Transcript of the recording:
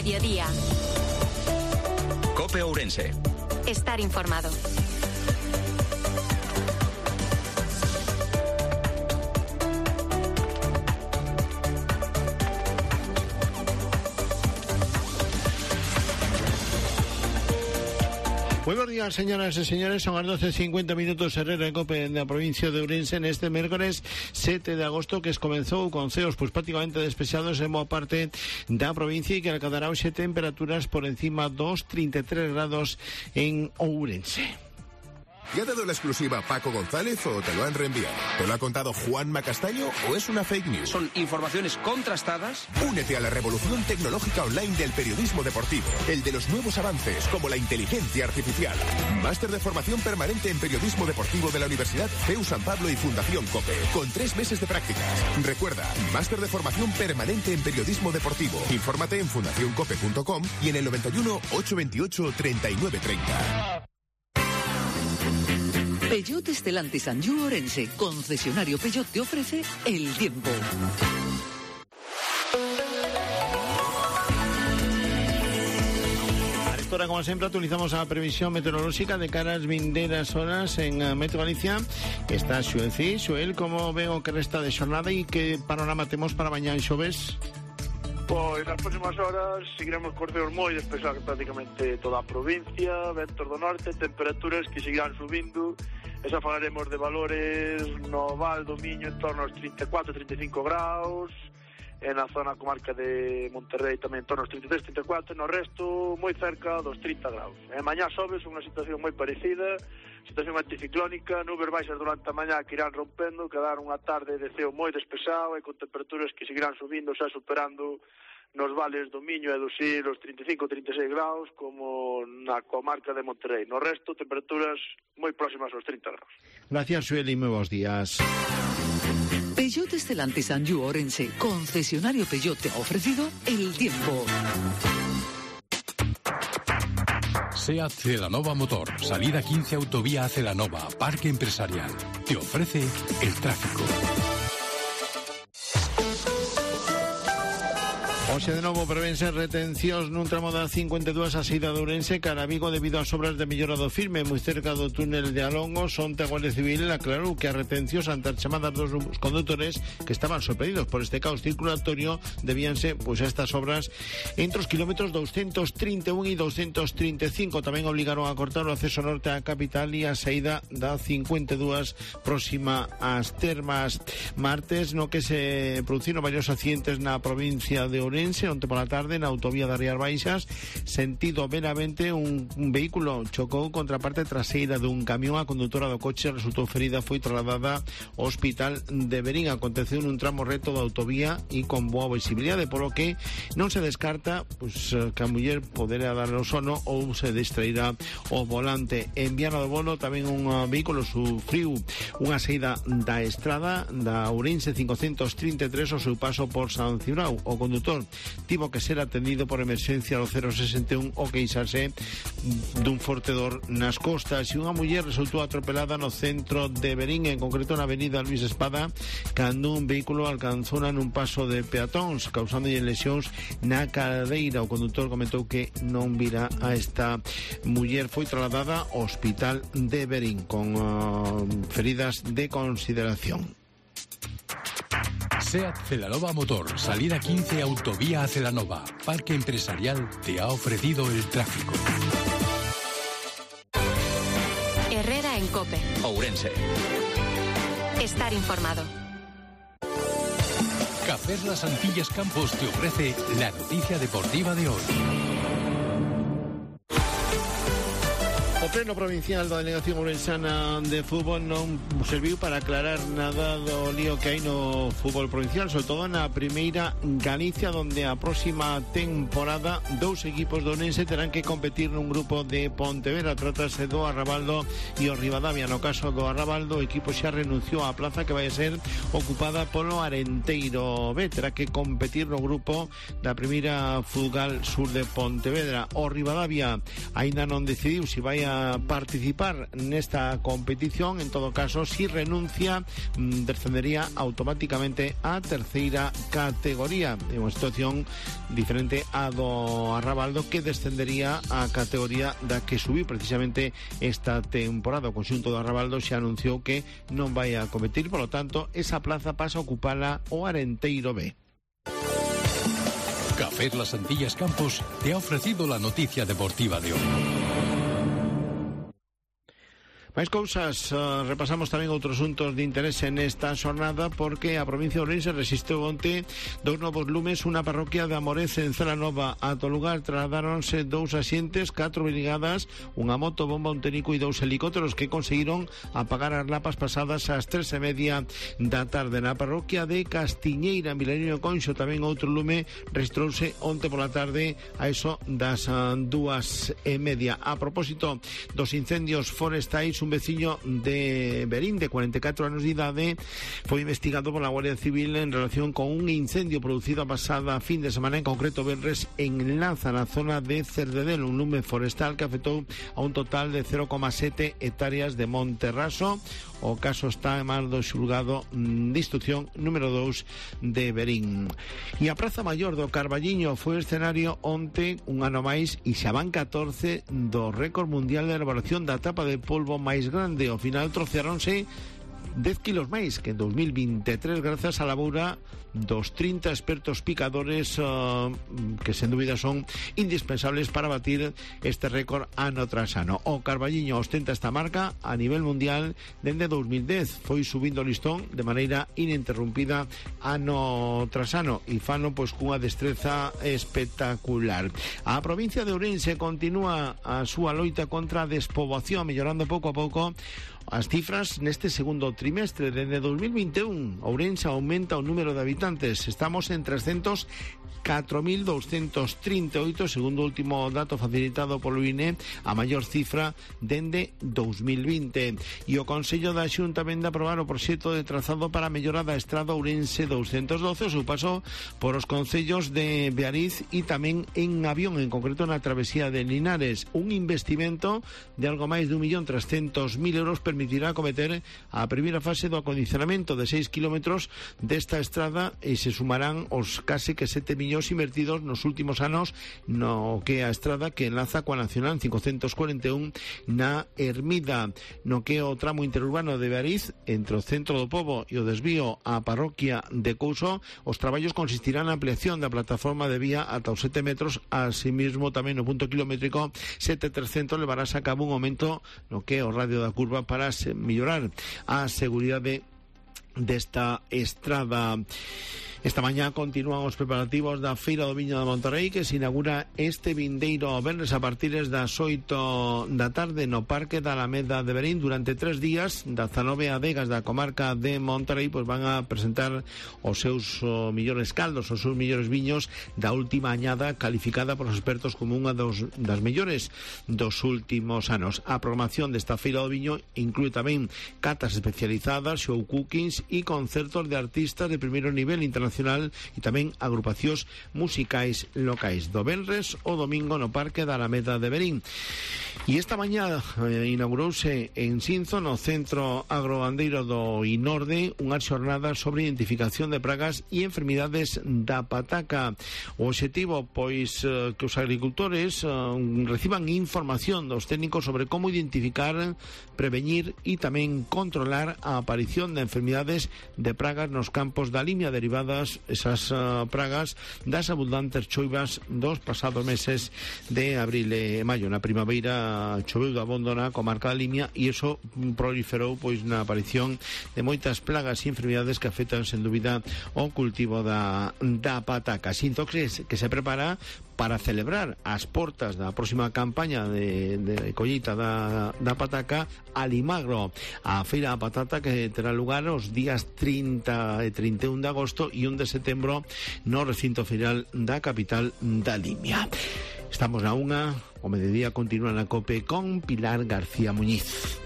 mediodía. COPE Ourense. Estar informado. Muy buenos días, señoras y señores. Son las 12:50 minutos. Herrera en COPE en la provincia de Ourense en este mércoles 7 de agosto, que comenzou con ceos prácticamente despejados en boa parte da provincia e que alcanzará hoxe temperaturas por encima dos 33 grados en Ourense. ¿Le ha dado la exclusiva Paco González o te lo han reenviado? ¿Te lo ha contado Juanma Castaño o es una fake news? Son informaciones contrastadas. Únete a la revolución tecnológica online del periodismo deportivo, el de los nuevos avances como la inteligencia artificial. Máster de formación permanente en periodismo deportivo de la Universidad CEU San Pablo y Fundación COPE, con 3 meses de prácticas. Recuerda, máster de formación permanente en periodismo deportivo. Infórmate en fundacioncope.com y en el 91 828 3930. Peugeot Stellantis Anjou Ourense, concesionario Peugeot, te ofrece el tiempo. Ahora, como siempre, actualizamos a previsión meteorológica de cara a las vinderas horas en Metro Galicia. Está Xuenci. Xuel, como veo que resta de jornada y qué panorama tenemos para mañana y xoves? Pois nas próximas horas seguiremos con ceos moi despejados prácticamente toda a provincia, ventos do norte, temperaturas que seguirán subindo. Esa falaremos de valores no Val do Miño en torno aos 34-35 graus, en a zona comarca de Monterrey tamén en torno aos 33-34, no resto moi cerca dos 30 graus. Mañá sobes unha situación moi parecida, situación anticiclónica, nubes baixas durante a mañá que irán rompendo, quedar unha tarde de ceo moi despexado e con temperaturas que seguirán subindo, xa superando nos vales do Miño e do Sil os 35-36 graus, como na comarca de Monterrey. No resto, temperaturas moi próximas aos 30 graus. Gracias, Xuel, y muy buenos días. Peugeot Stellantis Anjou Ourense, concesionario Peugeot, te ha ofrecido el tiempo. SEAT Celanova Motor, salida 15 autovía a Celanova, Parque Empresarial. Te ofrece el tráfico. Hoxe de novo prevense retencións nun tramo da 52 a saída de Ourense cara a Vigo debido ás obras de mellora do firme moi cerca do túnel de Alongo. Onte a Guardia Civil aclarou que as retencións ante as chamadas dos condutores que estaban sorprendidos por este caos circulatorio debíanse pois a estas obras entre os kilómetros 231 e 235. Tamén obligaron a cortar o acceso norte á capital e a saída da 52 próxima ás Termas. Martes no que se produciron varios accidentes na provincia de Ourense. Onte pola tarde na autovía das Rías Baixas, sentido Benavente, un vehículo chocou contra a parte traseira dun camión. A condutora do coche resultou ferida, foi trasladada ao hospital de Verín. Aconteceu nun tramo recto da autovía e con boa visibilidade, polo que non se descarta que a muller poderá dar o sono ou se distrairá o volante. En Viana do Bolo tamén un vehículo sufriu unha saída da estrada da Ourense 533 ao seu paso por San Cibrao. O condutor tivo que ser atendido por emerxencia ao 061 o queixarse dun forte dor nas costas. E unha muller resultou atropelada no centro de Verín, en concreto na avenida Luis Espada, cando un vehículo alcanzou nun paso de peatóns, causándolle lesións na cadeira. O condutor comentou que non vira a esta muller. Foi trasladada ao hospital de Verín con feridas de consideración. SEAT Celanova Motor, salida 15 autovía a Celanova, Parque Empresarial, te ha ofrecido el tráfico. Herrera en COPE. Ourense. Estar informado. Cafés Las Antillas Campos te ofrece la noticia deportiva de hoy. O pleno provincial da Delegación Ourensana de Fútbol non serviu para aclarar nada do lío que hai no fútbol provincial, sobre todo na primeira Galicia, donde a próxima temporada 2 equipos do Ourense terán que competir nun grupo de Pontevedra. Trátase do Arrabaldo e o Ribadavia. No caso do Arrabaldo, o equipo xa renunciou á plaza que vai a ser ocupada polo Arenteiro B. Terá que competir no grupo da primeira Futsal Sur de Pontevedra. O Ribadavia aínda non decidiu se vai a participar nesta competición. En todo caso, si renuncia, descendería automáticamente a terceira categoría. É unha situación diferente a do Arrabaldo, que descendería a categoría da que subiu precisamente esta temporada. O conxunto do Arrabaldo xa anunciou que non vai a competir, por lo tanto, esa plaza pasa a ocupala o Arenteiro B. Café Las Antillas Campos te ha ofrecido la noticia deportiva de hoy. Máis cousas, repasamos tamén outros asuntos de interés nesta xornada, porque a provincia de Ourense resistiu onte dous novos lumes. Unha parroquia de Amorez en Celanova. Ata o lugar trasladáronse 2 axentes, 4 brigadas, unha moto, bomba, un técnico e 2 helicópteros que conseguiron apagar as lapas pasadas ás 3:30 da tarde. Na parroquia de Castiñeira, en Vilariño de Conxo, tamén outro lume registrouse onte pola tarde a eso das 2:30. A propósito dos incendios forestais, un veciño de Verín de 44 anos de idade foi investigado pola Guardia Civil en relación con un incendio producido a pasada fin de semana, en concreto venres, en Lanza, na zona de Cerdedel, un lume forestal que afectou a un total de 0,7 hectáreas de monte raso. O caso está en mans do xulgado de instrucción número 2 de Verín. E a Praza Maior do Carballiño foi escenario onte, un ano máis, e xa van 14 do récord mundial de elaboración da tapa de polvo máis grande. Ao final trocearonse 10 kilos máis que en 2023 grazas á labora dos 30 expertos picadores que sen dúbida son indispensables para batir este récord ano tras ano. O Carballiño ostenta esta marca a nivel mundial dende 2010. Foi subindo o listón de maneira ininterrumpida ano tras ano e fano pois cunha destreza espectacular. A provincia de Ourense continúa a súa loita contra a despoboación, mellorando pouco a pouco as cifras neste segundo trimestre. Desde 2021, Ourense aumenta o número de habitantes. Estamos en 304.238, segundo o último dato facilitado polo INE, a maior cifra dende 2020. E o Consello da Xunta vende a aprobar o proxecto de trazado para a mellora da estrada Ourense 212, o seu paso por os concellos de Beariz e tamén en Avión, en concreto na travesía de Linares. Un investimento de algo máis de 1.300.000 euros permitirá acometer a primeira fase do acondicionamento de 6 kilómetros desta estrada e se sumarán os case que 7 millóns invertidos nos últimos anos no que a estrada que enlaza coa Nacional 541 na Ermida. No que o tramo interurbano de Beariz, entre o centro do pobo e o desvío á parroquia de Couso, os traballos consistirán na ampliación da plataforma de vía ata os 7 metros. Asimismo, tamén no punto kilométrico 7300 levarás a cabo un aumento no que o radio da curva para mellorar a seguridade desta estrada. Esta mañá continúan os preparativos da Feira do Viño de Monterrey, que se inaugura este vindeiro venres a partir das 8 da tarde no Parque da Alameda de Verín. Durante 3 días, 19 adegas da comarca de Monterrey pues van a presentar os seus millores caldos, os seus millores viños da última añada, calificada por os expertos como unha das mellores dos últimos anos. A programación desta Feira do Viño inclúe tamén catas especializadas, show cookings e concertos de artistas de primeiro nivel internacional e tamén agrupacións musicais locais. Do venres o domingo no Parque da Alameda de Verín. E esta mañá inaugurouse en Sinzo, no Centro Agrogandeiro do Inorde, unhas xornadas sobre identificación de pragas e enfermidades da pataca. O obxectivo, pois, que os agricultores reciban información dos técnicos sobre como identificar, prevenir e tamén controlar a aparición de enfermidades de pragas nos campos da limia derivadas esas pragas das abundantes choivas dos pasados meses de abril e maio. Na primavera choveu de abondo na comarca da Limia e iso proliferou pois na aparición de moitas plagas e enfermidades que afectan sen dúbida o cultivo da pataca. Sinto que se prepara para celebrar as portas da próxima campaña de colleita da pataca Alimagro, a feira da patata que terá lugar os días 30 e 31 de agosto e 1 de setembro no recinto feiral da capital da Limia. Estamos na 1, o mediodía continúa na COPE con Pilar García Muñiz.